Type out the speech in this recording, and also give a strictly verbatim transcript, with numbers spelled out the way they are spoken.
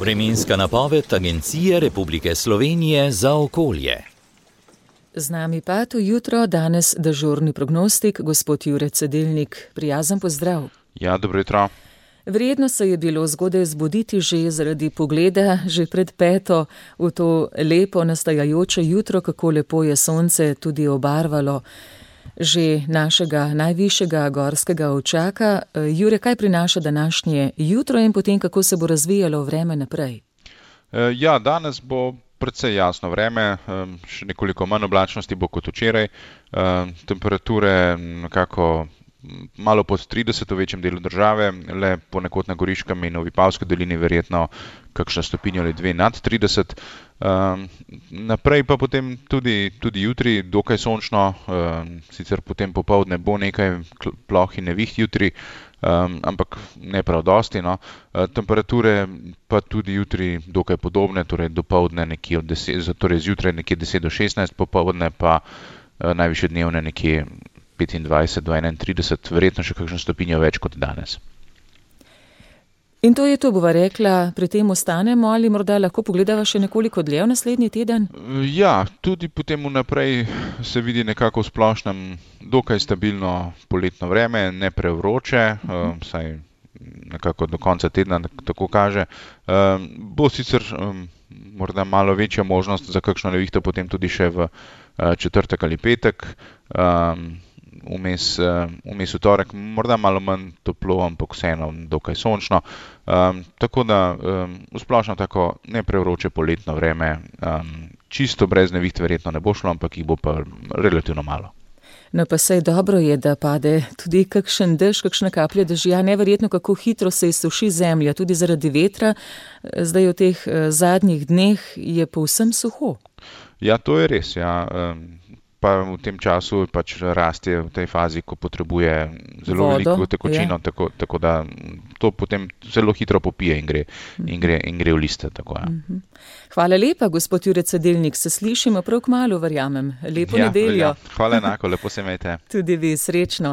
Vremenska napoved Agencije Republike Slovenije za okolje. Z nami pa to jutro danes dežurni prognostik, gospod Jure Cedelnik. Prijazen pozdrav. Ja, dobro jutro. Verjetno se je bilo zgodaj zbuditi že zaradi pogleda, že pred peto v to lepo nastajajoče jutro, kako lepo je sonce tudi obarvalo že našega najvišjega gorskega očaka. Jure, kaj prinaša današnje jutro in potem kako se bo razvijalo vreme naprej? Ja, danes bo precej jasno vreme, še nekoliko manj oblačnosti bo kot včeraj, temperature nekako malo pod trideset v večjem delu države, le ponekod na Goriškem in v Vipavski dolini verjetno kakšna stopinja ali dve nad trideset. Um, naprej pa potem tudi, tudi jutri dokaj sončno, um, sicer potem popoldne bo nekaj ploh in neviht jutri, um, ampak ne prav dosti. No. Uh, temperature pa tudi jutri dokaj podobne, torej dopoldne nekje od deset, torej zjutraj nekje deset do šestnajst, popoldne pa uh, najvišje dnevne nekje petindvajset do enaintrideset, verjetno še kakšno stopinjo več kot danes. In to je to, bova rekla, pri tem ostanemo ali morda lahko pogledava še nekoliko dlje v naslednji teden? Ja, tudi potem vnaprej se vidi nekako v splošnem dokaj stabilno poletno vreme, ne prevroče, uh, saj nekako do konca tedna tako kaže. Uh, bo sicer um, morda malo večja možnost za kakšno nevihto potem tudi še v uh, četrtek ali petek, um, Vmes, vmes v torek, morda malo manj toplo, ampak vseeno dokaj sončno. Um, tako da um, v splošno tako ne prevroče poletno vreme, um, čisto brez neviht verjetno ne bo šlo, ampak jih bo pa relativno malo. No pa sej dobro je, da pade tudi kakšen dež, kakšna kaplja dežja, neverjetno kako hitro se izsuši zemlja, tudi zaradi vetra. Zdaj v teh zadnjih dneh je povsem suho. Ja, to je res, ja. Um, pa v tem času pač raste v tej fazi, ko potrebuje zelo Vodo, veliko tekočino, tako, tako da to potem zelo hitro popije in gre, in gre, in gre v liste. Tako, ja. Hvala lepa, gospod Jure Cedelnik, se slišimo prav kmalu, verjamem. Lepo ja, nedeljo. Ja. Hvala enako, lepo se imejte. Tudi vi, srečno.